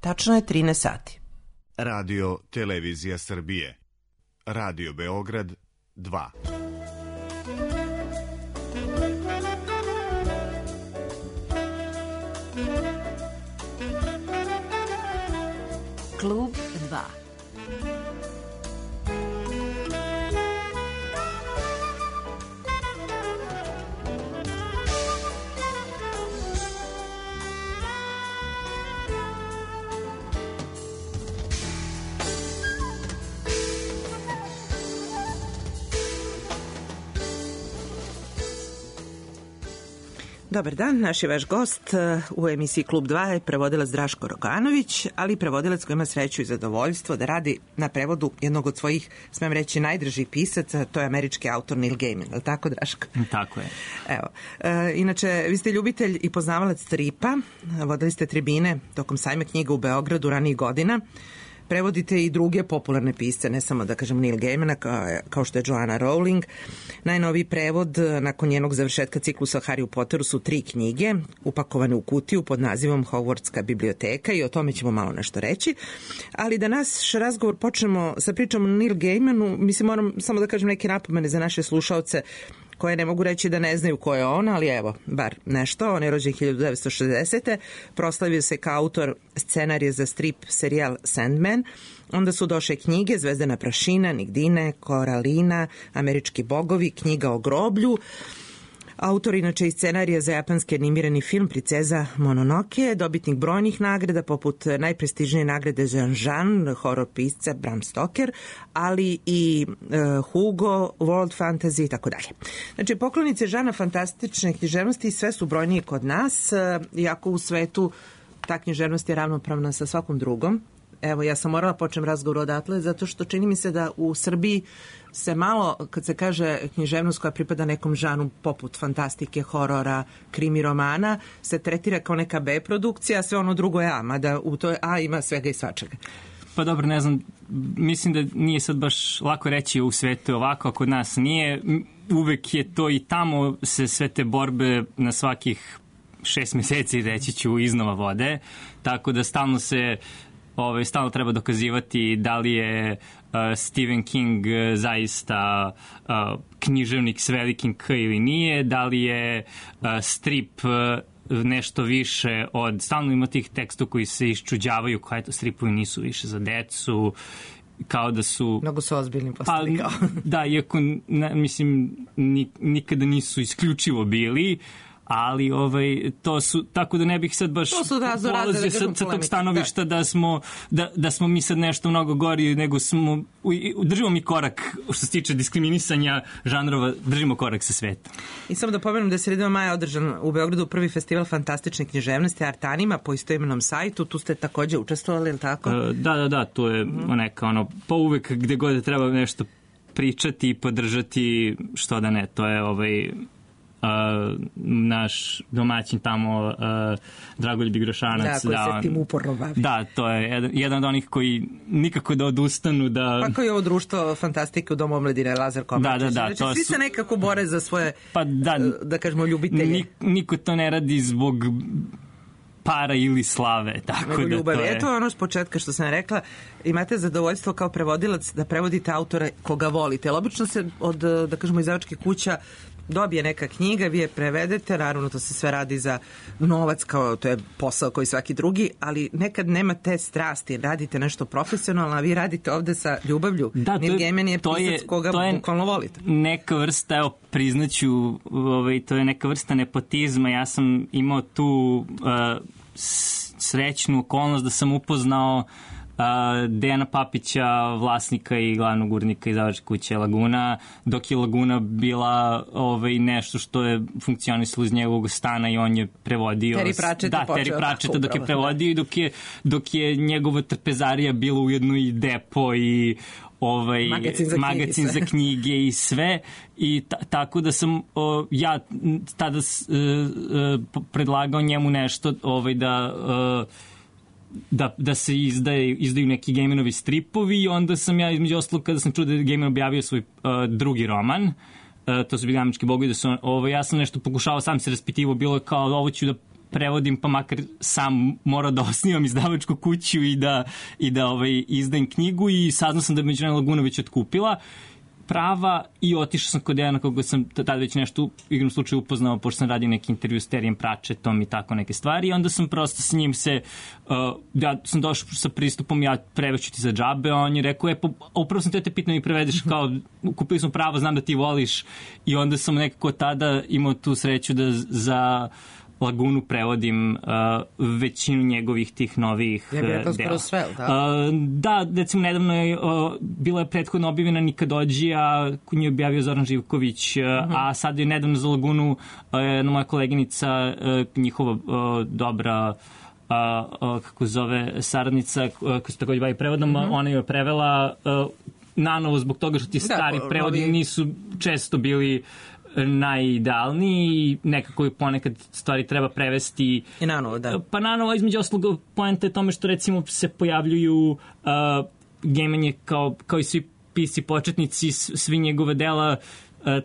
Tačno je 13 sati. Radio Televizija Srbije. Radio Beograd 2. Klub 2. Dobar dan, naš je vaš gost u emisiji Klub 2 je prevodilac Draško Roganović, ali i prevodilac koji ima sreću i zadovoljstvo da radi na prevodu jednog od svojih, smem reći, najdražih pisaca, to je američki autor Neil Gaiman, je li tako, Draško? Tako je. Evo, inače, vi ste ljubitelj i poznavalac stripa, vodili ste tribine tokom sajma knjiga u Beogradu ranijih godina, prevodite i druge popularne pisce, ne samo da kažem Neil Gaimana, kao što je Joanna Rowling. Najnoviji prevod nakon njenog završetka ciklusa o Harry Potteru su 3 knjige upakovane u kutiju pod nazivom Hogwartska biblioteka i o tome ćemo malo nešto reći. Ali da naš razgovor počnemo sa pričom o Neil Gaimanu, mislim moram samo da kažem neke napomene za naše slušaoce koje ne mogu reći da ne znaju ko je on, ali evo, bar nešto. On je rođen 1960. Proslavio se kao autor scenarija za strip serijal Sandman. Onda su došle knjige Zvezdana prašina, Nigdine, Koralina, Američki bogovi, Knjiga o groblju. Autor inače i scenarija za japanski animirani film Princeza Mononoke, dobitnik brojnih nagrada poput najprestižnije nagrade Jean, horor pisca Bram Stoker, ali i Hugo, World Fantasy i tako dalje. Znači, poklonice žana fantastične književnosti sve su brojnije kod nas, iako u svetu ta književnost je ravnopravna sa svakom drugom. Evo, ja sam morala počnem razgovor odatle, zato što čini mi se da u Srbiji se malo, kad se kaže književnost koja pripada nekom žanu poput fantastike, horora, krimi romana, se tretira kao neka B produkcija, a sve ono drugo je A, mada u toj A ima svega i svačega. Pa dobro, ne znam, mislim da nije sad baš lako reći u svetu ovako, a kod nas nije. Uvek je to i tamo se sve te borbe na svakih 6 meseci, reći ću, iznova vode, tako da stalno treba dokazivati da li je Stephen King zaista književnik s velikim K ili nije, da li je strip nešto više od, stalno ima tih tekstova koji se iščuđavaju, kao eto stripovi nisu više za decu, kao da su... Mnogo su ozbiljni postali kao. Da, iako mislim nikada nisu isključivo bili, ali to su, tako da ne bih sad baš polazio sa tog stanovišta da smo mi sad nešto mnogo gori, nego držimo mi korak što se tiče diskriminisanja žanrova, držimo korak sa svetom. I samo da pomenem da je sredinom maja održan u Beogradu prvi festival fantastične književnosti Artanima po istoimenom sajtu, tu ste takođe učestvovali, ili tako? Da, to je neka pa uvek gde god treba nešto pričati i podržati, što da ne, to je naš domaćin tamo, Dragoljub Igrošanac. Da, koji se tim uporno bavi. Da, to je jedan od onih koji nikako da odustanu. Pa kao je ovo društvo fantastike u Domu omladine, Lazar Komačić. Znači, svi se nekako bore za svoje, da kažemo, ljubitelje. Niko to ne radi zbog para ili slave, tako da ljubav. To je... Eto ono s početka što sam rekla, imate zadovoljstvo kao prevodilac da prevodite autora koga volite. Obično se od, da kažemo, izdavačkih kuća dobije neka knjiga, vi je prevedete, naravno to se sve radi za novac, kao to je posao koji svaki drugi, ali nekad nema te strasti, radite nešto profesionalno, a vi radite ovde sa ljubavlju. Da, Neil Gaiman je pisac koga bukvalno volite. Neka vrsta, evo, priznaću, to je neka vrsta nepotizma. Ja sam imao tu srećnu okolnost da sam upoznao Dejana Papića, vlasnika i glavnog urednika izdavačke kuće Laguna, dok je Laguna bila nešto što je funkcionisalo iz njegovog stana i on je prevodio... Terry Pratchetta dok je prevodio i dok je njegova trpezarija bila ujedno i depo i magazin za knjige i sve, i tako da sam ja tada predlagao njemu nešto da se izdaju neki Gaimanovi stripovi, i onda sam ja, između ostalog, kada sam čuo da je Gaiman objavio svoj drugi roman, to su bili Američki bogovi, ja sam nešto pokušao, sam se raspitivao, bilo kao ovo ću da prevodim, pa makar sam morao da osnivam izdavačku kuću i da izdajem knjigu i saznao sam da je Međunarodna Laguna već otkupila prava i otišao sam kod Dejana koga sam tada već nešto u igrom slučaju upoznao, pošto sam radio neki intervju s Terijem Pratchettom i tako neke stvari i onda sam prosto s njim ja sam došao sa pristupom, ja preveću ti za džabe, a on je rekao, upravo sam te pitam i prevedeš, kao kupili smo pravo, znam da ti voliš i onda sam nekako tada imao tu sreću da za Lagunu prevodim većinu njegovih tih novih dela. Je to skoro sve, da? Da, recimo nedavno je bila je prethodno objavljena Nikadođija, koju je objavio Zoran Živković, a sad je nedavno za Lagunu jedna moja koleginica, njihova dobra kako zove saradnica, koja se takođe bavi prevodom, ona je prevela nanovo zbog toga što ti stari prevodi nisu često bili najidealniji i nekako ponekad stvari treba prevesti i nanovo, da. Pa nanovo, između ostalog, poenta je tome što recimo se pojavljuju Gaiman je kao i svi pisci početnici, svi njegove dela,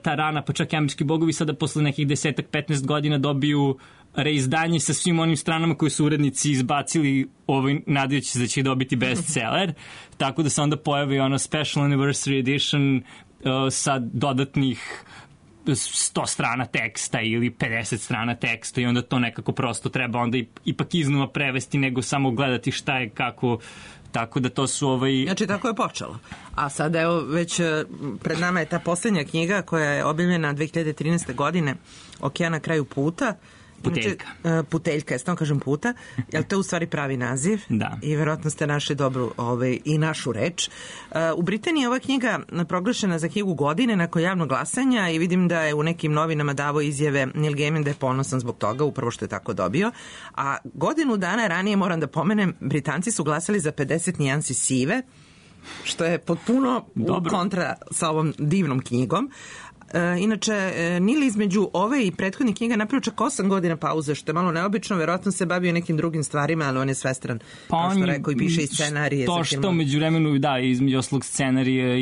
ta rana, pa čak i Američki bogovi sada posle nekih 10-15 godina dobiju reizdanje sa svim onim stranama koje su urednici izbacili nadajući se da će dobiti bestseller, tako da se onda pojavi ono special anniversary edition sa dodatnih 100 strana teksta ili 50 strana teksta i onda to nekako prosto treba onda ipak iznova prevesti nego samo gledati šta je kako, tako da to su Znači tako je počelo. A sad evo već pred nama je ta poslednja knjiga koja je objavljena 2013. godine, Okean na kraju puta. Puteljka. Puteljka, ja kažem puta, jer to je u stvari pravi naziv. Da. I verovatno ste našli dobru i našu reč. U Britaniji je ova knjiga proglašena za knjigu godine nakon javnog glasanja i vidim da je u nekim novinama davo izjave Neil Gaiman da je ponosan zbog toga, upravo što je tako dobio. A godinu dana ranije, moram da pomenem, Britanci su glasali za 50 nijansi sive, što je potpuno kontra sa ovom divnom knjigom. Inače, Neil između ove i prethodnih knjiga napravio čak 8 godina pauze, što je malo neobično, verovatno se bavio nekim drugim stvarima, ali on je svestran, kao što rekao, i piše i scenarije. To što među vremenu, da, između oslog scenarija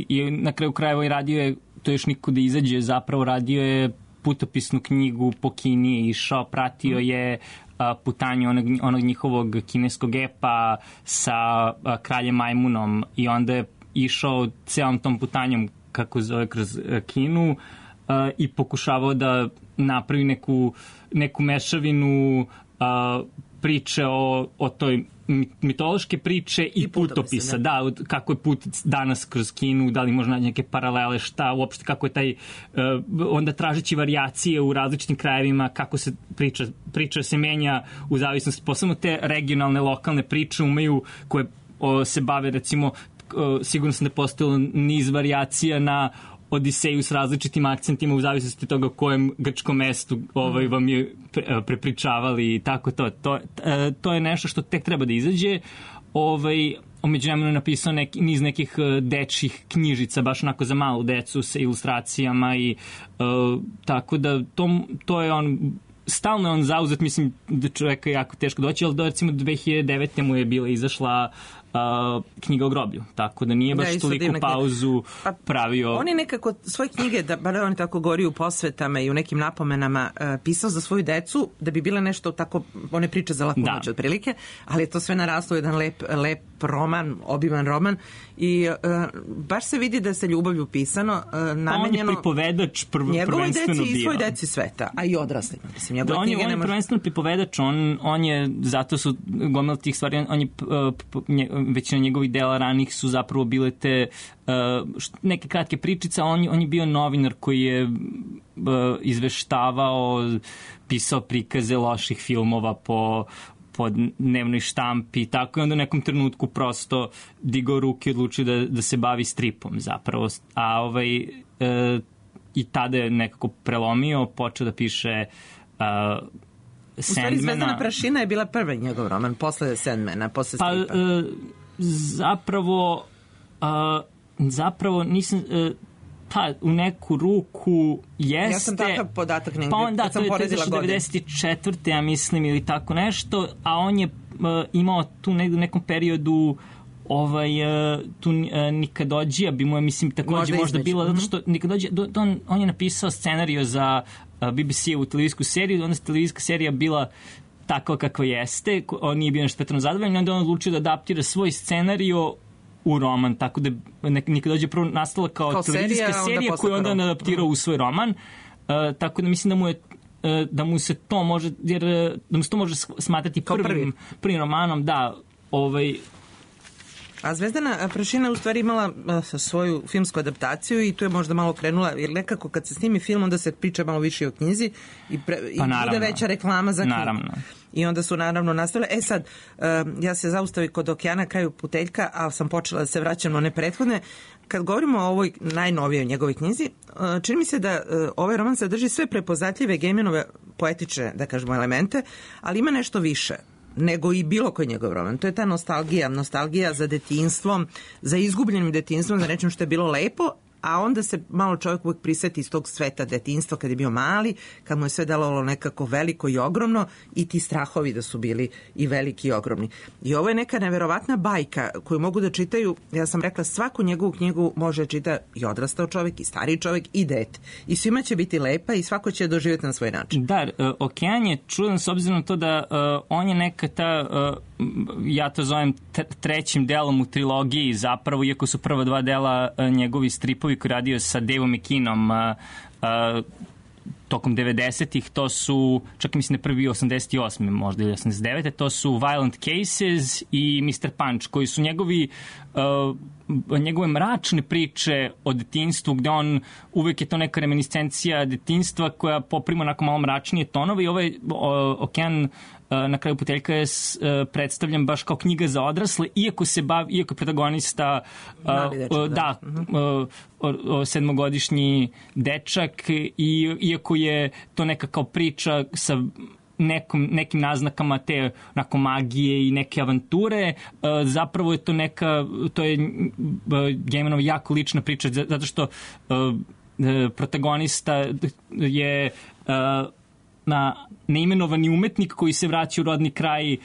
i na kraju krajeva i radio je, to još niko da izađe, zapravo radio je putopisnu knjigu, po Kini je išao, pratio je putanju onog njihovog kineskog epa sa kraljem Majmunom i onda je išao celom tom putanjom kako zove kroz Kinu i pokušavao da napravi neku mešavinu priče o toj mitološke priče i putopisa. Da, kako je put danas kroz Kinu, da li možda naći neke paralele, šta uopšte, kako je taj, onda tražeći varijacije u različitim krajevima, kako se priča se menja u zavisnosti, posebno te regionalne, lokalne priče umeju koje se bave, recimo, sigurno sam da je postojalo niz varijacija na Odiseju s različitim akcentima u zavisnosti toga u kojem grčkom mestu vam je prepričavali i tako to. To je nešto što tek treba da izađe. Umeđu vremenu je napisao niz nekih dečjih knjižica, baš onako za malu decu sa ilustracijama i tako da to je stalno je on zauzet, mislim da čoveka je jako teško doći, ali recimo 2009. mu je bila izašla knjiga o groblju, tako da nije baš toliko pauzu pravio. On je nekako svoje knjige, da bar on tako govori u posvetama i u nekim napomenama, pisao za svoju decu, da bi bile nešto tako, one priče za laku noć otprilike, ali je to sve naraslo jedan lep roman, obiman roman i baš se vidi da se ljubavlju pisano, namenjeno. On je pripovedač prvenstveno bio. Njegovoj deci i svoj deci sveta, a i odraslima. Mislim, da, on je prvenstveno pripovedač, on je, zato su gomila tih stvari, on je većina njegovih dela ranih su zapravo bile te neke kratke pričice, on je bio novinar koji je izveštavao, pisao prikaze loših filmova po dnevnoj štampi i tako, i onda u nekom trenutku prosto digao ruke i odlučio da se bavi stripom zapravo, a i tada je nekako prelomio, počeo da piše Sandmana. U stvari Zvezdana prašina je bila prvi njegov roman, posle Sandmana, posle stripa. Zapravo nisam... u neku ruku jeste... Ja sam takav podatak negdje, kad sam poredila godine. 94. ja mislim, ili tako nešto, a on je imao tu u nekom periodu tu Nikadođija bi mu, mislim, takođe možda bila, zato što Nikadođija, on je napisao scenariju za BBC-u televizijsku seriju, onda je televizijska serija bila tako kakva jeste, on nije bio nešto pretredno zadovoljan, onda on odlučio da adaptira svoj scenariju u roman, tako da Nikadođija prvo nastala kao televizijska serija koju onda on adaptirao u svoj roman, tako da mislim da mu se to može, jer da mu se to može smatrati prvim romanom, da, A Zvezdana prašina u stvari imala svoju filmsku adaptaciju i tu je možda malo krenula, jer nekako kad se snimi film onda se priča malo više o knjizi i bude veća reklama za knjigu. Naravno. I onda su naravno nastavile. Sad, ja se zaustavim kod Okeana kraju puteljka, ali sam počela da se vraćam na one prethodne. Kad govorimo o ovoj najnovijoj njegovoj knjizi, čini mi se da ovaj roman sadrži sve prepoznatljive Gaimanove poetične, da kažemo, elemente, ali ima nešto više nego i bilo koji njegov roman. To je ta nostalgija za detinjstvom, za izgubljenim detinjstvom, za nečem što je bilo lepo, a onda se malo čovjek uvijek priseti iz tog sveta detinjstva kad je bio mali, kad mu je sve delovalo nekako veliko i ogromno i ti strahovi da su bili i veliki i ogromni. I ovo je neka neverovatna bajka koju mogu da čitaju, ja sam rekla, svaku njegovu knjigu može čita i odrastao čovjek, i stariji čovjek, i dete. I svima će biti lepa i svako će doživjeti na svoj način. Da, Okean je čudan s obzirom na to da on je neka ta, ja to zovem trećim delom u trilogiji zapravo, iako su prva dva dela njegovi stripovi koji radio sa Daveom McKeanom tokom 90-ih, to su, čak mislim da prvi 88. možda ili 89. To su Violent Cases i Mr. Punch, koji su njegove mračne priče o detinjstvu, gde on uvek je to neka reminiscencija detinjstva koja poprima onako malo mračnije tonove i ovaj Okean na kraju puteljka je predstavljan baš kao knjiga za odrasle, iako je protagonista sedmogodišnji dečak i iako je to neka kao priča sa nekim naznakama te onako magije i neke avanture, zapravo je to je Gaimanova jako lična priča, zato što protagonista je neimenovani umetnik koji se vraća u rodni kraj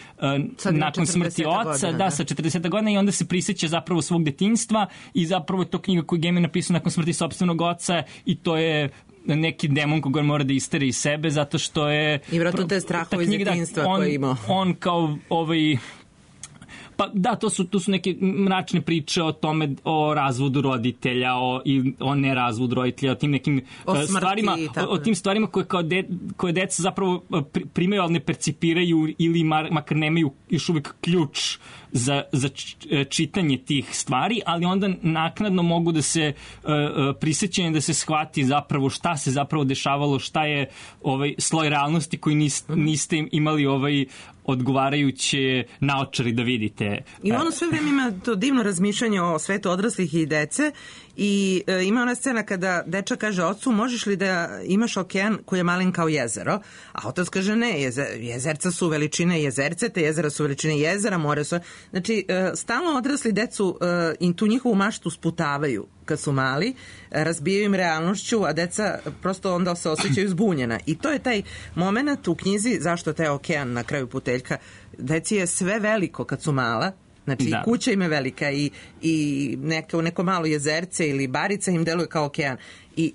nakon smrti oca, sa 40 godina i onda se prisjeća zapravo svog detinjstva i zapravo je to knjiga koju Gaiman napisao nakon smrti sopstvenog oca i to je neki demon koga mora da isteri iz sebe zato što je... I vratno te strahove iz detinjstva koje imao. On kao pa da, to su neke mračne priče o tome, o razvodu roditelja, o nerazvodu roditelja, o tim nekim stvarima, o tim stvarima koje deca zapravo primaju, ali ne percipiraju ili makar nemaju još uvijek ključ za čitanje tih stvari, ali onda naknadno mogu da se prisjećaju, da se shvati zapravo šta se zapravo dešavalo, šta je sloj realnosti koji niste imali odgovarajuće naočari da vidite. I ono sve vreme ima to divno razmišljanje o svetu odraslih i dece i ima ona scena kada dečak kaže ocu, možeš li da imaš okean koji je malen kao jezero, a otac kaže ne, jezerca su veličine jezerce, te jezera su veličine jezera, more su... Znači, stalno odrasli decu i tu njihovu maštu sputavaju kad su mali, razbijaju im realnošću, a deca prosto onda se osjećaju zbunjena. I to je taj moment u knjizi zašto taj okean na kraju puteljka. Deci je sve veliko kad su mala, znači i kuća im je velika i neko malo jezerce ili barica im deluje kao okean. I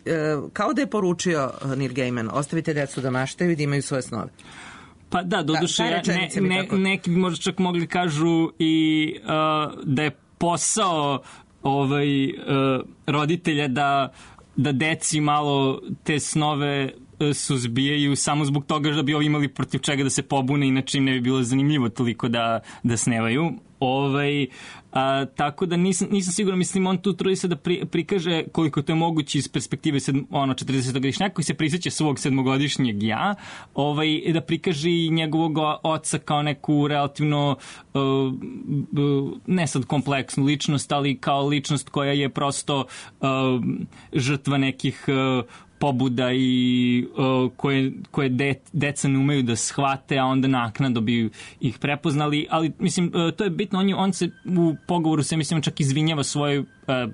kao da je poručio Neil Gaiman, ostavite decu da maštaju i da imaju svoje snove. Pa da, doduše, neki bi možda čak mogli kažu i da je posao roditelja da deci malo te snove suzbijaju samo zbog toga da bi ovi imali protiv čega da se pobune, inače im ne bi bilo zanimljivo toliko da snevaju. Tako da nisam siguran, mislim, on tu trudi se da prikaže koliko to je moguće iz perspektive 40-godišnjaka koji se prisjeća svog 7-godišnjeg ja, da prikaže i njegovog oca kao neku relativno ne sad kompleksnu ličnost, ali kao ličnost koja je prosto žrtva nekih pobuda i koje deca ne umeju da shvate, a onda naknadno bi ih prepoznali, ali mislim, to je bitno, on se u pogovoru se mislim čak izvinjava svojoj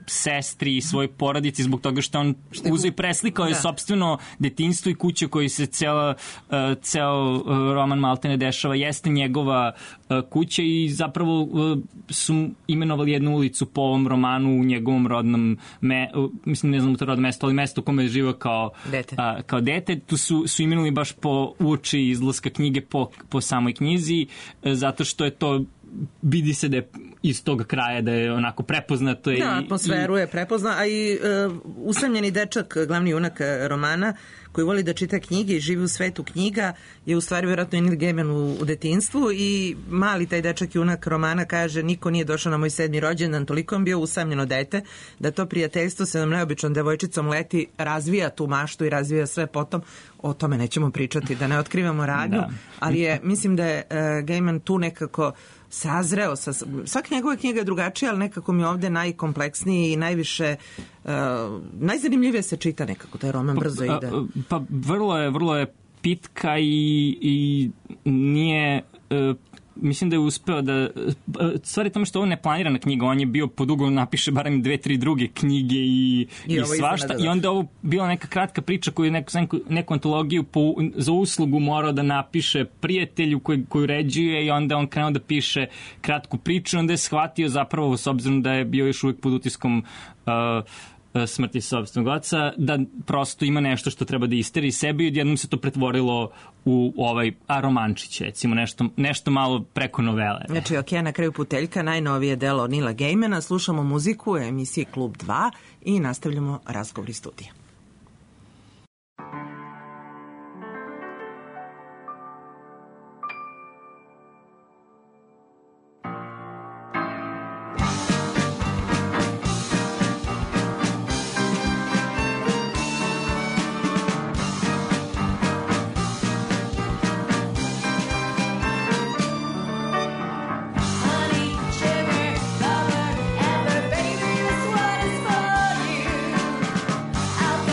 sestri i svojoj porodici zbog toga što on uzeo i preslikao je sopstveno detinjstvo i kuće koji se ceo roman maltene dešava, jeste njegova kuća i zapravo su imenovali jednu ulicu po ovom romanu u njegovom rodnom mislim, ne znam to rodno mesto, ali mesto u kome je živao kao dete. Tu su imenovali baš po uoči izlaska knjige po samoj knjizi, zato što je to vidi se da je iz tog kraja, da je onako prepoznato. Da, atmosferu je prepozna, a i usamljeni dečak, glavni junak romana, koji voli da čita knjige i živi u svetu knjiga, je u stvari vjerojatno Neil Gaiman u detinjstvu i mali taj dečak junak romana kaže niko nije došao na moj 7. rođendan, toliko je bio usamljeno dete, da to prijateljstvo sa jednom neobičnom devojčicom leti, razvija tu maštu i razvija sve potom. O tome nećemo pričati, da ne otkrivamo radnju, ali mislim da je Gaiman tu nekako sazreo. Svaka njegova knjiga je drugačija, ali nekako mi je ovde najkompleksniji i najviše najzanimljivije se čita nekako, taj roman brzo ide. Pa vrlo je pitka i nije... mislim da je uspeo da... Stvari tome što ovo ne planirana knjiga, on je bio podugo napiše barem 2-3 druge knjige i svašta. I onda ovo bila neka kratka priča koju je neku antologiju za uslugu morao da napiše prijatelju koji uređuje i onda on krenuo da piše kratku priču. Onda je shvatio zapravo, s obzirom da je bio još uvijek pod utiskom smrti sopstvenog oca, da prosto ima nešto što treba da isteri sebi i odjednom se to pretvorilo u romančić, recimo nešto malo preko novele. Znači, na kraju puteljka, najnovije delo Neila Gaimana, slušamo muziku u emisiji Klub 2 i nastavljamo razgovor iz studija. I'll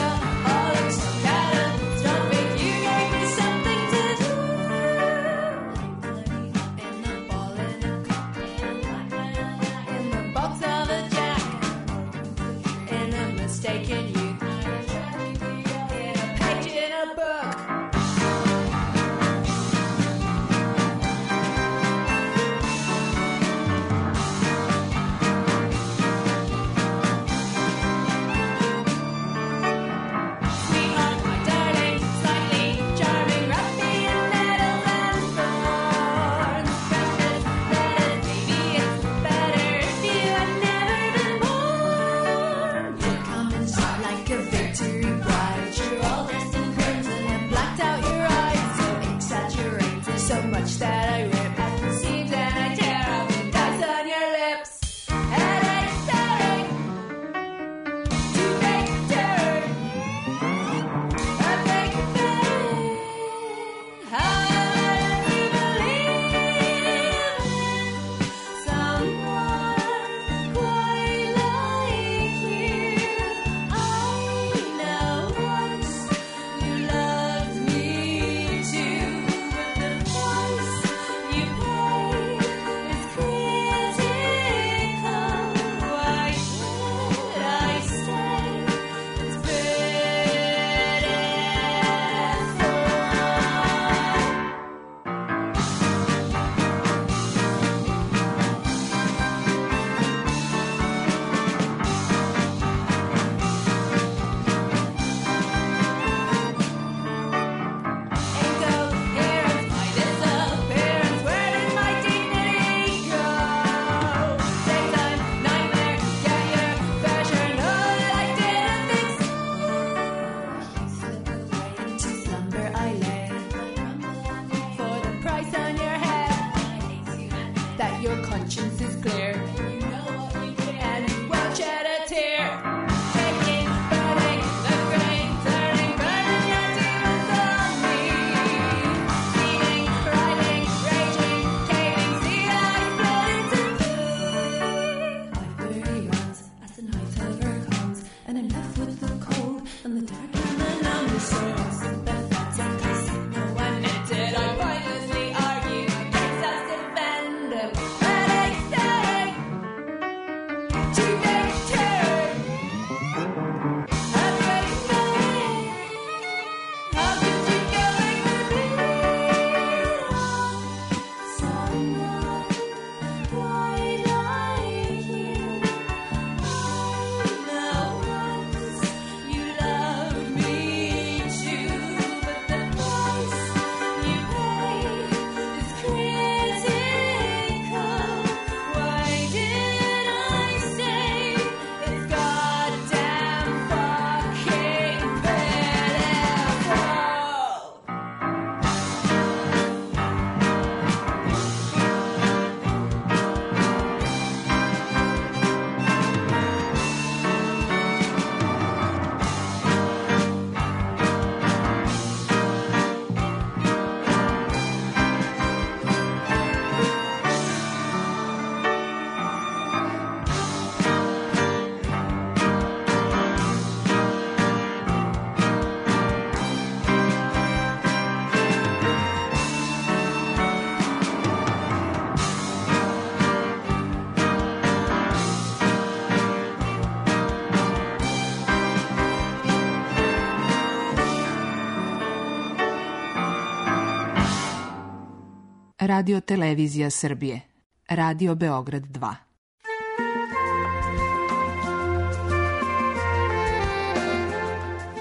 Radio Televizija Srbije. Radio Beograd 2.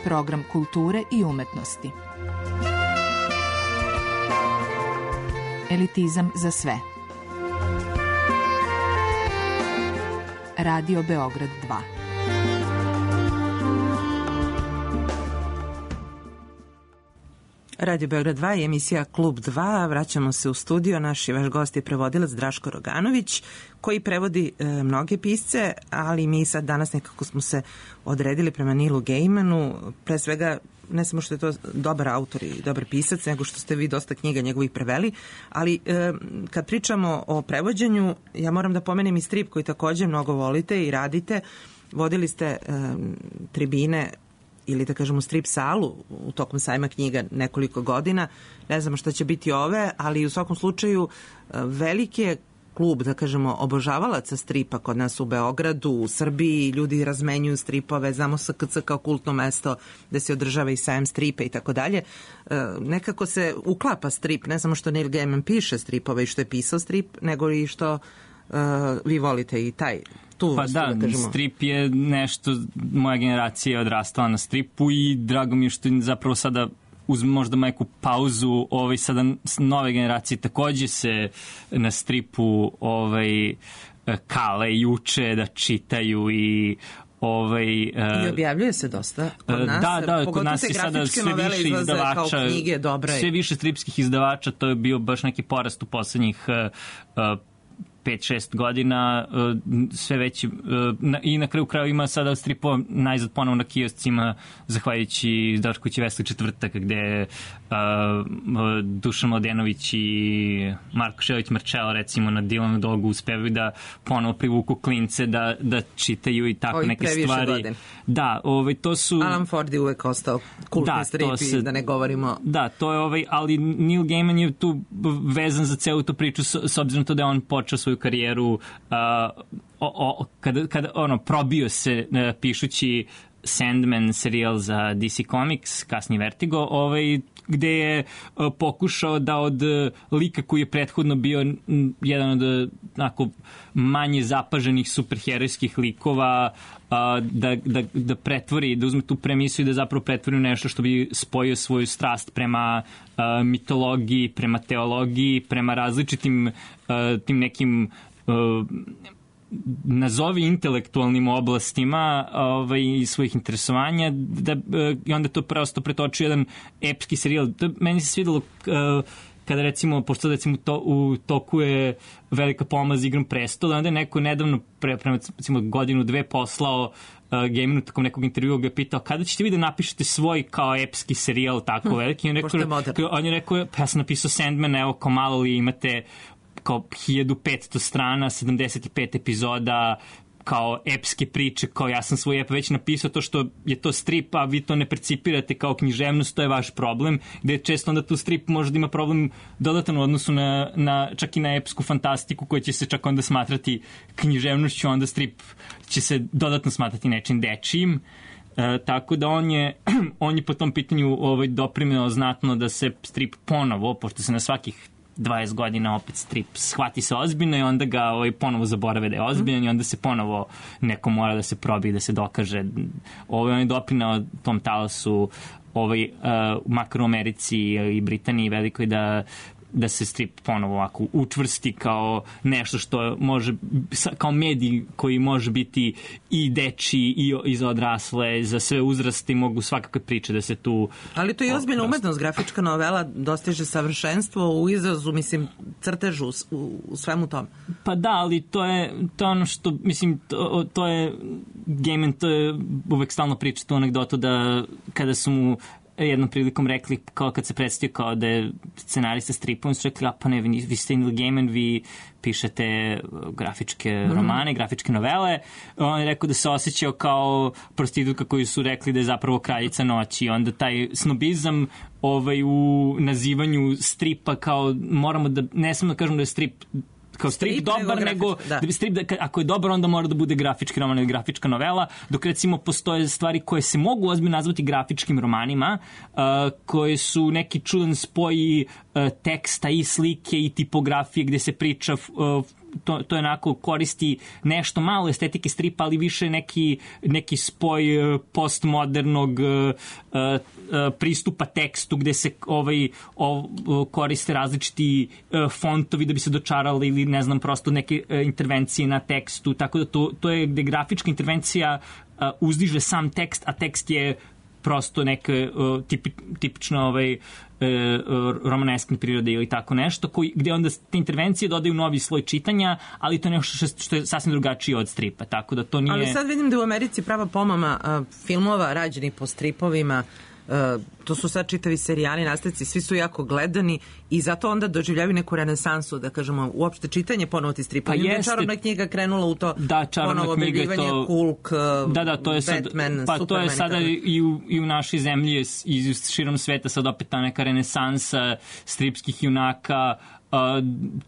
Program kulture i umetnosti. Elitizam za sve. Radio Beograd 2. Radio Beograd 2 je emisija Klub 2. Vraćamo se u studio. Naš i vaš gost je prevodilac Draško Roganović, koji prevodi mnoge pisce, ali mi sad danas nekako smo se odredili prema Neilu Gaimanu. Pre svega, ne samo što je to dobar autor i dobar pisac, nego što ste vi dosta knjiga njegovih preveli, ali kad pričamo o prevođenju, ja moram da pomenem i strip koji takođe mnogo volite i radite. Vodili ste tribine ili da kažemo strip salu u tokom sajma knjiga nekoliko godina. Ne znamo šta će biti ove, ali u svakom slučaju veliki je klub, da kažemo, obožavalaca stripa kod nas u Beogradu, u Srbiji, ljudi razmenjuju stripove, znamo SKC kao kultno mesto gde se održava i sajam stripa i tako dalje. Nekako se uklapa strip, ne samo što Neil Gaiman piše stripove i što je pisao strip, nego i što vi volite i taj Pa da, strip je nešto, moja generacija je odrastala na stripu i drago mi je što zapravo sada uz možda majku pauzu, sada nove generacije takođe se na stripu kale i uče da čitaju i i objavljuje se dosta kod nas. Da, kod nas je sada sve više izdavača, knjige, sve više stripskih izdavača, to je bio baš neki porast u poslednjih 5-6 godina, sve veći, i na kraju kraju ima sada stripova najzad ponovo na kioscima, zahvaljujući Daškovići Vesli četvrtak, gde Dušan Mladenović i Marko Šelić-Marčelo recimo na Dilanu Dogu uspevaju da ponovo privuku klince da čitaju i tako neke stvari. Godin. Da, to su... Alan Ford je uvek ostao kultni strip, da ne govorimo... Da, to je ali Neil Gaiman je tu vezan za celu tu priču s obzirom to da je on počeo svoju karijeru kada probio se pišući Sandman serijal za DC Comics, kasnije Vertigo, gde je pokušao da od lika koji je prethodno bio jedan od manje zapaženih superherojskih likova da pretvori, da uzme tu premisu i da zapravo pretvori nešto što bi spojio svoju strast prema mitologiji, prema teologiji, prema različitim tim nekim nazovi intelektualnim oblastima i svojih interesovanja i onda to prosto pretočio jedan epski serijal. Meni se svidelo kada recimo, pošto recimo u toku je velika pomama za Igrom prestola, onda je neko nedavno prema recimo godinu, dve poslao Gaimanu tokom nekog intervjua ga je pitao kada ćete vi da napišete svoj kao epski serijal tako veliki. On je rekao, pa ja sam napisao Sandman, evo kao malo li imate kao 1500 strana, 75 epizoda, kao epske priče, kao ja sam svoj ep već napisao, to što je to strip, a vi to ne percipirate kao književnost, to je vaš problem, gde često onda tu strip može da ima problem dodatan u odnosu čak i na epsku fantastiku koja će se čak onda smatrati književnošću, onda strip će se dodatno smatrati nečim dečijim. Tako da on je po tom pitanju doprineo znatno da se strip ponovo, pošto se na svakih 20 godina opet strip shvati se ozbiljno i onda ga ponovo zaborave da je ozbiljan i onda se ponovo neko mora da se probi, da se dokaže. On je doprinao tom talasu makar u Americi i Britaniji velikoj da se strip ponovo ovako učvrsti kao nešto što može, kao medij koji može biti i dečiji i za odrasle, za sve uzraste i mogu svakakve priče da se tu... Ali to je ozbiljna umetnost, grafička novela dostiže savršenstvo u izrazu, mislim, crtežu, u svemu tom. Pa da, ali to je ono što, mislim, to je Gaiman, to je uvek stalno priča tu anegdotu da kada su mu jednom prilikom rekli, kao kad se predstavio kao da je scenarista stripa, on su rekli, pa ne, vi ste Neil Gaiman, vi pišete grafičke romane, grafičke novele. On je rekao da se osjećao kao prostitutka koju su rekli da je zapravo kraljica noći. Onda taj snobizam u nazivanju stripa kao moramo da, ne samo da kažemo da je strip kao strip dobar, nego strip, ako je dobar, onda mora da bude grafički roman ili grafička novela, dok recimo postoje stvari koje se mogu ozbiljno nazvati grafičkim romanima, koje su neki čudan spoj teksta i slike i tipografije gde se priča to je onako koristi nešto malo estetike stripa, ali više neki spoj postmodernog pristupa tekstu gde se koriste različiti fontovi da bi se dočarali ili ne znam, prosto neke intervencije na tekstu, tako da to je gde grafička intervencija uzdiže sam tekst, a tekst je prosto neka tipično romaneskne prirode ili tako nešto, gde onda te intervencije dodaju novi sloj čitanja, ali to je nešto što je sasvim drugačije od stripa, tako da to nije... Ali sad vidim da u Americi prava pomama filmova rađenih po stripovima, to su sad čitavi serijali, nastavci, svi su jako gledani i zato onda doživljavaju neku renesansu, da kažemo, uopšte čitanje ponovo ti stripa. Pa je čarobna knjiga krenula u to, ponovo objavljivanje, Hulk, Batman, Superman. Pa to je sada i u našoj zemlji i širom sveta sad opet ta neka renesansa stripskih junaka,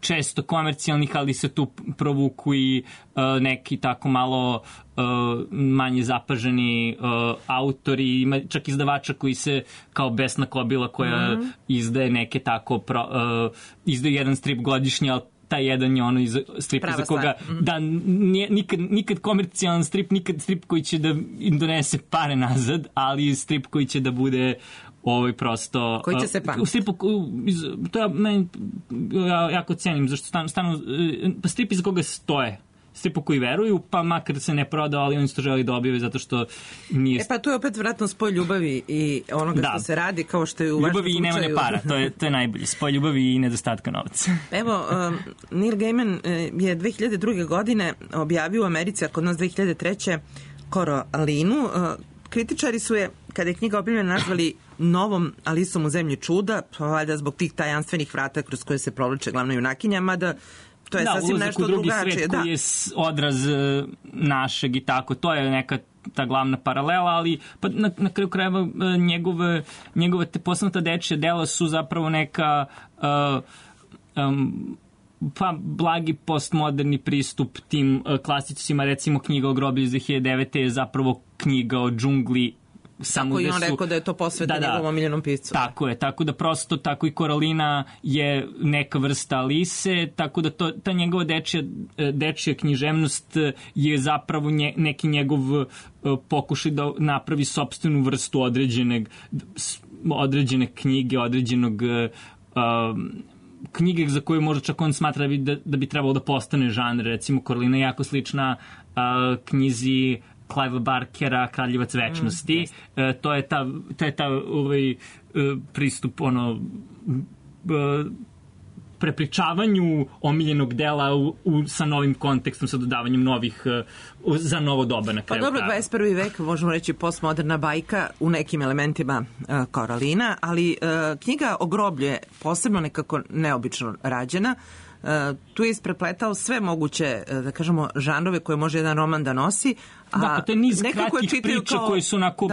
često komercijalnih, ali se tu provuku i neki tako malo manje zapaženi autori, ima čak izdavača koji se kao Besna Kobila koja izdaje neke tako izdaje jedan strip godišnje, ali taj jedan je ono iz stripa za koga da nikad komercijalan strip, nikad strip koji će da im donese pare nazad, ali strip koji će da bude prosto... Koji će se pamati? To ja jako cenim, zašto stanu strip iz koga stoje. Stripu koji veruju, pa makar se ne prodao, ali oni to želi da objave zato što nije... Pa tu je opet vratno spoj ljubavi i onoga što se radi, kao što je u vašem slučaju. Ljubavi i nemanje para, to je najbolje. Spoj ljubavi i nedostatka novca. Evo, Neil Gaiman je 2002. godine objavio u Americi, a kod nas 2003. Koralinu. Kritičari su je, kada je knjiga objavljena, nazvali novom Alisom u zemlji čuda, pa valjda zbog tih tajanstvenih vrata kroz koje se provlače glavna junakinja, mada to je sasvim nešto drugačije. Ulazak u drugi svet koji je odraz našeg i tako, to je neka ta glavna paralela, ali pa na kraju krajeva njegove te posebno dečje dela su zapravo neka pa blagi postmoderni pristup tim klasicima, recimo knjiga o groblju iz 2009. je zapravo knjiga o džungli. Tako i on rekao da je to posvetno njegovom omiljenom piscu. Tako je, tako da prosto tako i Koralina je neka vrsta Alise, tako da ta njegova dečja književnost je zapravo neki njegov pokušaj da napravi sopstvenu vrstu određene knjige, određenog knjige za koju možda čak on smatra da bi trebalo da postane žanr. Recimo Koralina je jako slična knjizi Clive Barkera, Kraljevac večnosti. To je ta pristup prepričavanju omiljenog dela sa novim kontekstom, sa dodavanjem novih za novo doba na kraju. Pa dobro, 21. vek, možemo reći postmoderna bajka u nekim elementima Koralina, ali knjiga o groblju je posebno nekako neobično rađena. Tu je isprepletao sve moguće, da kažemo, žanrove koje može jedan roman da nosi. Da, to je niz kratkih priča koje su onako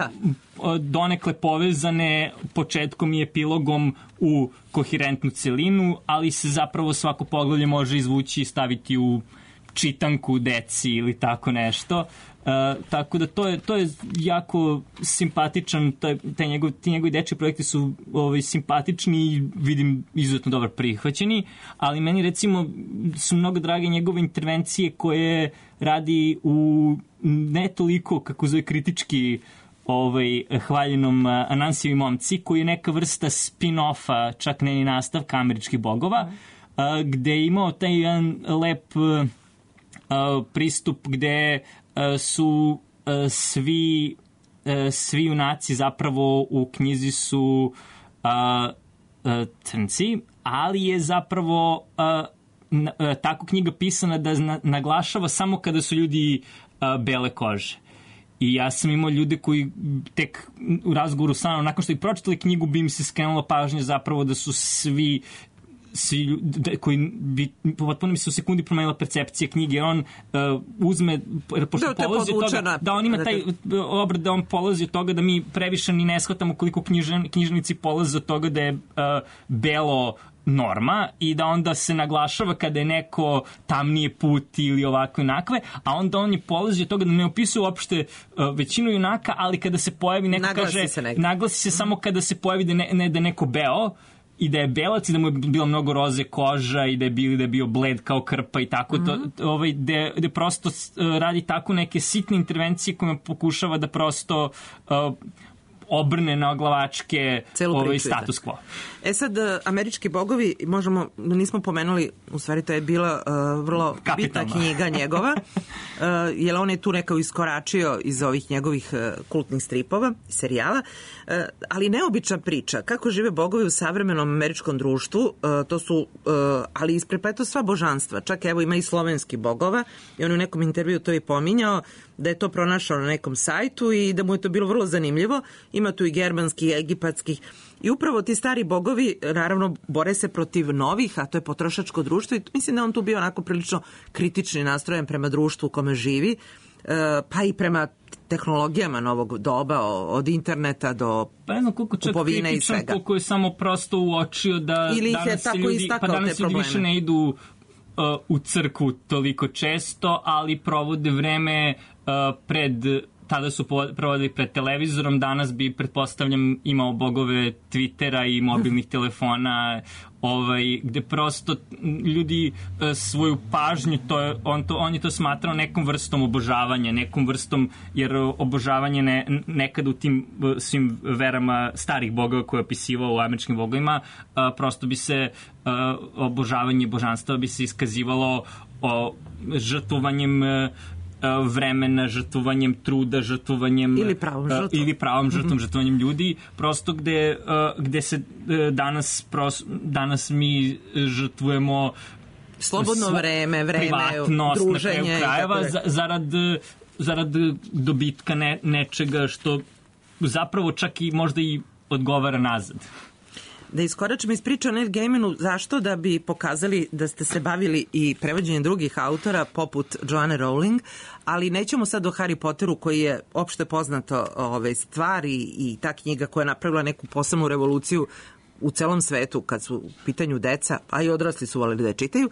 donekle povezane početkom i epilogom u koherentnu celinu, ali se zapravo svako poglavlje može izvući i staviti u čitanku deci ili tako nešto. Tako da to je jako simpatičan, ti njegovi dečji projekti su simpatični i vidim izuzetno dobro prihvaćeni, ali meni recimo su mnogo drage njegove intervencije koje radi u ne toliko, kako zove, kritički hvaljenom Anansijevi momci, koji je neka vrsta spin-offa, čak ne ni nastavka Američkih bogova, gde je imao taj jedan lep pristup gde su svi junaci zapravo u knjizi su crnci, ali je zapravo tako knjiga pisana da naglašava samo kada su ljudi bele kože. I ja sam imao ljude koji tek u razgovoru sa mnom, nakon što ih pročitali knjigu, bi im se skrenula pažnja zapravo da su svi koji bi potpuno mi se u sekundi promenila percepcija knjige, jer on uzme, pošto polazi od toga, da on ima taj obrat, da on polazi od toga da mi previše ni ne shvatamo koliko knjižnici polaze od toga da je belo norma i da onda se naglašava kada je neko tamnije put ili ovako inakve, a onda on je polazi od toga da ne opisuje uopšte većinu junaka, ali kada se pojavi neko naglasi se samo kada se pojavi da je neko beo i da je belac i da mu je bila mnogo roze koža i da je bio bled kao krpa i tako, gde prosto radi tako neke sitne intervencije kojima pokušava da prosto obrne na oglavačke status quo. Sad, američki bogovi, nismo pomenuli, u stvari to je bila vrlo bitna knjiga njegova, jer on je tu nekao iskoračio iz ovih njegovih kultnih stripova, serijala, ali neobična priča, kako žive bogovi u savremenom američkom društvu, to su, ali isprepleto sva božanstva, čak evo ima i slovenski bogova, i on u nekom intervju to je pominjao, da je to pronašao na nekom sajtu i da mu je to bilo vrlo zanimljivo. Ima tu i germanskih, egipatskih. I upravo ti stari bogovi, naravno, bore se protiv novih, a to je potrošačko društvo i mislim da on tu bio onako prilično kritični nastrojen prema društvu u kome živi, pa i prema tehnologijama novog doba, od interneta do kupovine i svega. Koliko je samo prosto uočio da danas ljudi više ne idu u crkvu toliko često, ali provode vreme tada su provodili pred televizorom, danas bi, pretpostavljam, imao bogove Twittera i mobilnih telefona, gde prosto ljudi svoju pažnju, on je to smatrao nekom vrstom obožavanja, nekom vrstom, jer obožavanje nekada u tim svim verama starih bogova koje je opisivao u američkim bogovima, prosto bi se obožavanje božanstva bi se iskazivalo žrtvovanjem vremena, žrtvovanjem truda, žrtvovanjem ili pravom žrtvom, žrtvovanjem ljudi, prosto gde se danas mi žrtvujemo slobodno vreme, privatnost druženje, na kraju krajeva zarad dobitka nečega što zapravo čak i možda i odgovara nazad. Da iskoračimo iz priče o Neil Gaimanu, zašto? Da bi pokazali da ste se bavili i prevođenjem drugih autora poput Joanne Rowling, ali nećemo sad o Harry Potteru koji je opšte poznato stvari i ta knjiga koja je napravila neku posebnu revoluciju u celom svetu kad su u pitanju deca, a i odrasli su voleli da je čitaju.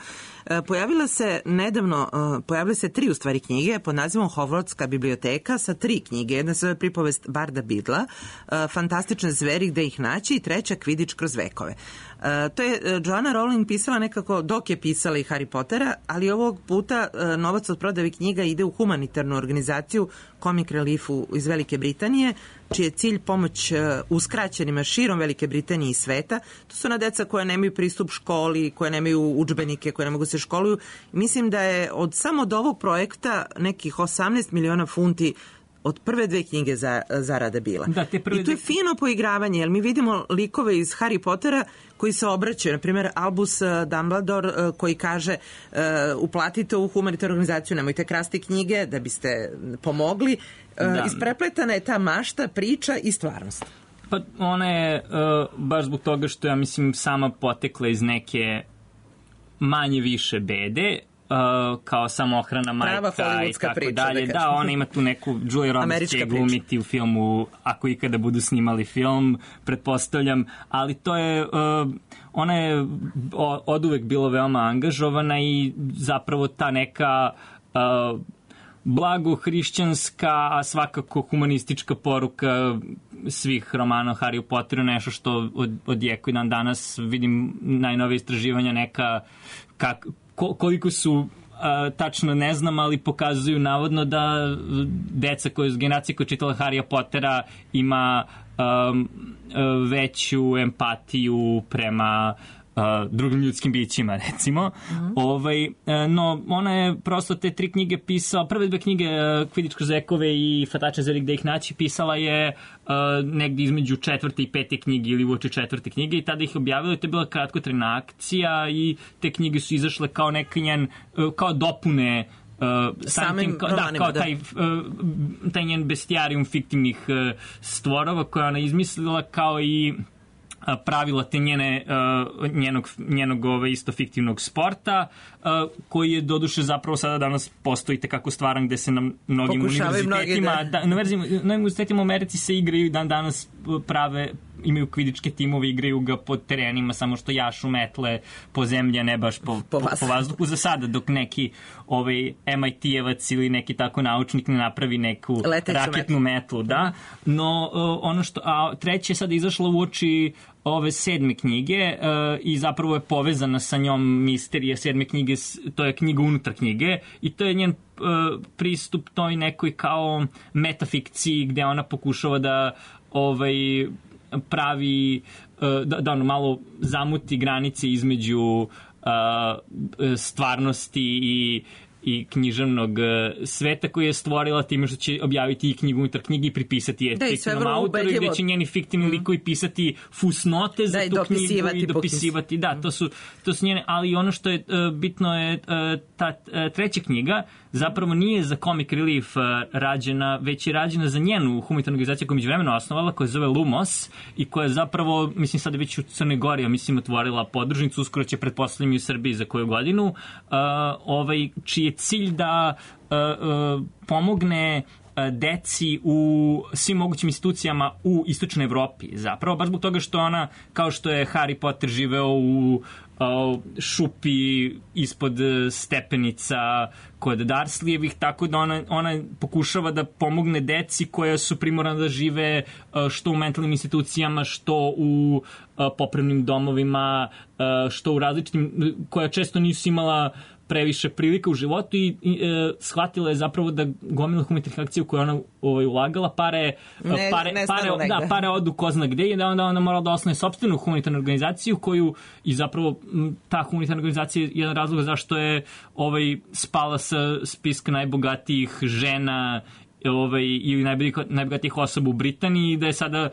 Pojavile se 3 u stvari knjige pod nazivom Hogwartska biblioteka sa 3 knjige. Jedna se zove Pripovest Barda Bidla, Fantastične zveri gde ih naći i 3. Kvidič kroz vekove. To je Joanna Rowling pisala nekako dok je pisala i Harry Pottera, ali ovog puta novac od prodaje knjiga ide u humanitarnu organizaciju Comic Reliefu iz Velike Britanije, čiji je cilj pomoć uskraćenima širom Velike Britanije i sveta. To su deca koja nemaju pristup školi, koje nemaju udžbenike, koje ne mogu se školuju. Mislim da je samo od ovog projekta nekih 18 miliona funti od prve 2 knjige zarada bila. I to je fino poigravanje, jer mi vidimo likove iz Harry Pottera koji se obraćaju. Naprimjer, Albus Dumbledore koji kaže uplatite u humanitarnu organizaciju, nemojte krasti knjige da biste pomogli. Isprepletana je ta mašta, priča i stvarnost. Pa ona je baš zbog toga što ja mislim sama potekla iz neke manje više bede, kao samohrana majka i tako dalje. Da, ona ima tu neku Julia Roberts će glumiti u filmu, ako ikada budu snimali film, pretpostavljam, ali to je ona je oduvek bila veoma angažovana i zapravo ta neka blago hrišćanska, a svakako humanistička poruka svih romana o Harry Potteru, nešto što odjekuje dan danas. Vidim najnovije istraživanja neka koliko su tačno ne znam, ali pokazuju navodno da generacija koja je čitala Harrya Pottera ima veću empatiju prema drugim ljudskim bićima, recimo. No, ona je prosto te 3 knjige pisala, prve 2 knjige, Kvidič kroz vekove i Fantastične zveri gde ih naći, pisala je negdje između 4. i 5. knjige ili uoči 4. knjige i tada ih objavila. To je bila kratkotrajna akcija i te knjige su izašle kao neki njen, kao dopune samim romanima, taj njen bestijarijum fiktivnih stvorova koje ona izmislila, kao i pravila te njenog isto fiktivnog sporta, koji je doduše zapravo sada danas postoji tekako stvaran, gde se na mnogim univerzitetima, na univerzitetima u Americi se igraju dan danas imaju kvidičke timove, igraju ga po terenima, samo što jašu metle po zemlji, a ne baš po vazduhu za sada, dok neki MIT-evac ili neki tako naučnik ne napravi neku raketnu metlu, da. No, ono što, treće je sada izašlo u oči ove 7. knjige i zapravo je povezana sa njom misterija 7. knjige, to je knjiga unutar knjige i to je njen pristup toj nekoj kao metafikciji gde ona pokušava da pravi da ono malo zamuti granice između stvarnosti i književnog sveta koji je stvorila time što će objaviti i knjigu unutar knjige i pripisati je fiktivnom autoru, gde će njeni fiktivni likovi pisati fusnote za tu knjigu i dopisivati. Da, to su njene, ali ono što je bitno je ta treća knjiga zapravo nije za Comic Relief rađena, već je rađena za njenu humanitarnu organizaciju koju je međuvremeno osnovala, koja se zove Lumos i koja je zapravo, mislim sad je već u Crnoj Gori, a mislim otvorila podružnicu, uskoro će pretpostavljam i u Srbiji za koju godinu, čiji je cilj da pomogne deci u svim mogućim institucijama u istočnoj Evropi. Zapravo, baš zbog toga što ona, kao što je Harry Potter živeo u šupi ispod stepenica kod Dursleyevih, tako da ona pokušava da pomogne deci koja su primorana da žive što u mentalnim institucijama, što u popravnim domovima, što u različitim, koja često nisu imala previše prilika u životu i shvatila je zapravo da gomila humanitarnih akcija u koje ona ulagala pare odu ko zna gde i da onda ona morala da osnovi sopstvenu humanitarnu organizaciju koju i zapravo ta humanitarna organizacija je jedan razlog zašto je spala sa spiska najbogatijih žena ili najbogatijih osoba u Britaniji i da je sada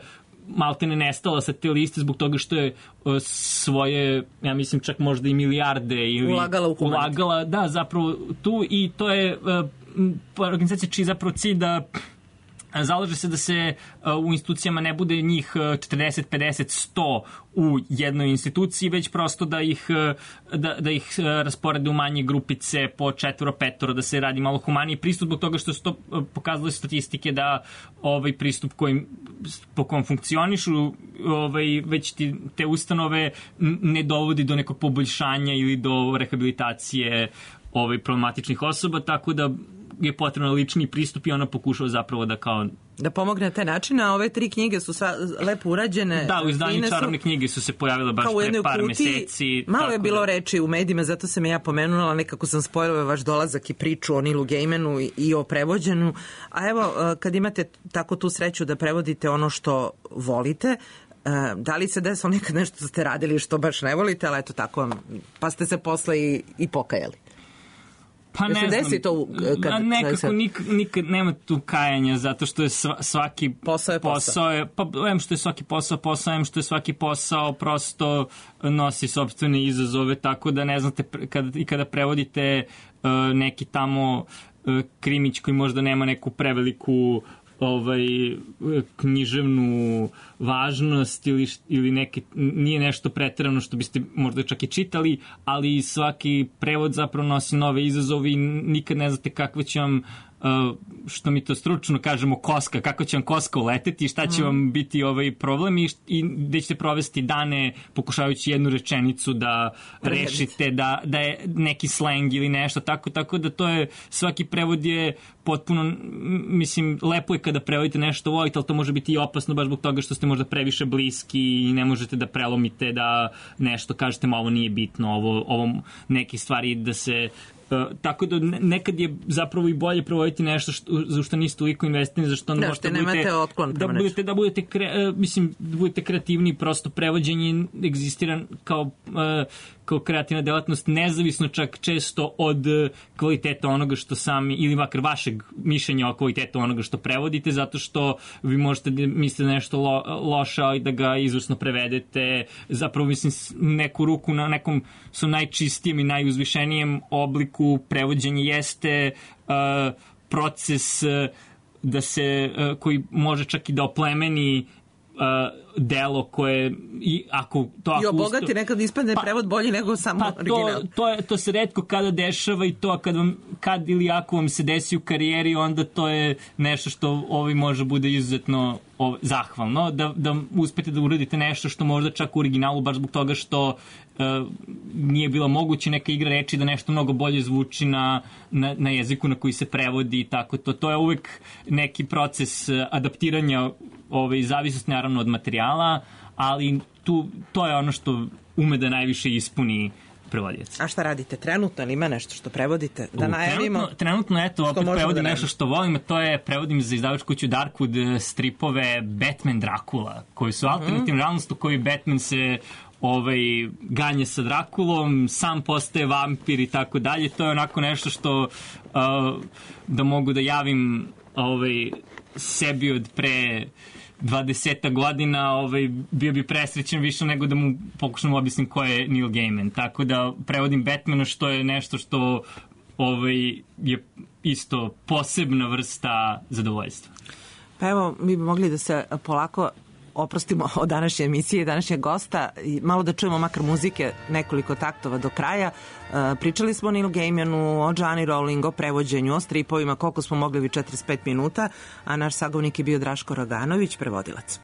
maltene nestala sa te liste zbog toga što je svoje, ja mislim čak možda i milijarde ili ulagala, da, zapravo tu i to je organizacija čiji zapravo cilj da zalaže se da se u institucijama ne bude njih 40, 50, 100 u jednoj instituciji, već prosto da ih rasporede u manje grupice po 4-5, da se radi malo humaniji pristup, zbog toga što su to pokazali statistike da pristup po kom funkcionišu već te ustanove ne dovodi do nekog poboljšanja ili do rehabilitacije problematičnih osoba, tako da je potrebno lični pristup i ona pokušava zapravo da pomogne na taj način, a ove 3 knjige su lepo urađene. Da, u izdanju čarobne knjige su se pojavile baš pre par meseci. Malo je bilo reči u medijima, zato sam ja pomenula, nekako sam spojila vaš dolazak i priču o Neilu Gaimanu i o prevođenju. A evo, kad imate tako tu sreću da prevodite ono što volite, da li se desilo nekad nešto što ste radili što baš ne volite, ali eto tako, pa ste se posle i pokajali? Pa ne znam, nekako nikad nema tu kajanja, zato što je svaki posao je, pa em što je svaki posao, em što je svaki posao prosto nosi sopstvene izazove, tako da ne znate, kada prevodite neki tamo krimić koji možda nema neku preveliku književnu važnost ili nije nešto preterano što biste možda čak i čitali, ali svaki prevod zapravo nosi nove izazove i nikad ne znate kakva će vam, što mi to stručno kažemo, koska, kako će vam koska uleteti, šta će vam biti problem i gde ćete provesti dane pokušavajući jednu rečenicu da rešite, da je neki slang ili nešto, tako da to je, svaki prevod je potpuno, mislim, lepo je kada prevodite nešto volite, ali to može biti i opasno baš zbog toga što ste možda previše bliski i ne možete da prelomite, da nešto kažete, ma ovo nije bitno, ovo neke stvari da se tako da nekad je zapravo i bolje provoditi nešto za što niste toliko investirani, za što možete da budete kreativni, prosto prevođenje egzistira kao kreativna delatnost, nezavisno čak često od kvaliteta onoga što sami, ili makar vašeg mišljenja o kvalitetu onoga što prevodite, zato što vi možete misliti da nešto loše i da ga izvrsno prevedete, zapravo mislim neku ruku na nekom su najčistijem i najuzvišenijem obliku prevođenja jeste proces da se, koji može čak i da oplemeni delo koje i obogati, nekad ispadne prevod bolji nego samo original. To se retko kada dešava i to kad ili ako vam se desi u karijeri, onda to je nešto što može bude izuzetno zahvalno, da uspete da uradite nešto što možda čak u originalu, baš zbog toga što nije bilo moguće neka igra reči da nešto mnogo bolje zvuči na jeziku na koji se prevodi i tako to. To je uvek neki proces adaptiranja zavisnosti naravno od materijala, ali to je ono što ume da najviše ispuni prevodioca. A šta radite trenutno? Ili ima nešto što prevodite? Da najavimo? Trenutno, eto, opet prevodim nešto što volim, a to je prevodim za izdavačku kuću Darkwood stripove Batman Dracula, koji su alternativna realnost u kojoj Batman se ganje sa Drakulom, sam postaje vampir i tako dalje. To je onako nešto što da mogu da javim sebi od pre 20 godina, bio bi presrećen više nego da mu pokušam objasnim ko je Neil Gaiman. Tako da prevodim Batmana, što je nešto što je isto posebna vrsta zadovoljstva. Pa evo, mi bi mogli da se polako oprostimo od današnje emisije i današnjeg gosta i malo da čujemo makar muzike, nekoliko taktova do kraja. Pričali smo o Neil Gaimanu, o Johnny Rowling, o prevođenju, o stripovima, koliko smo mogli 45 minuta, a naš sagovnik je bio Draško Roganović, prevodilac.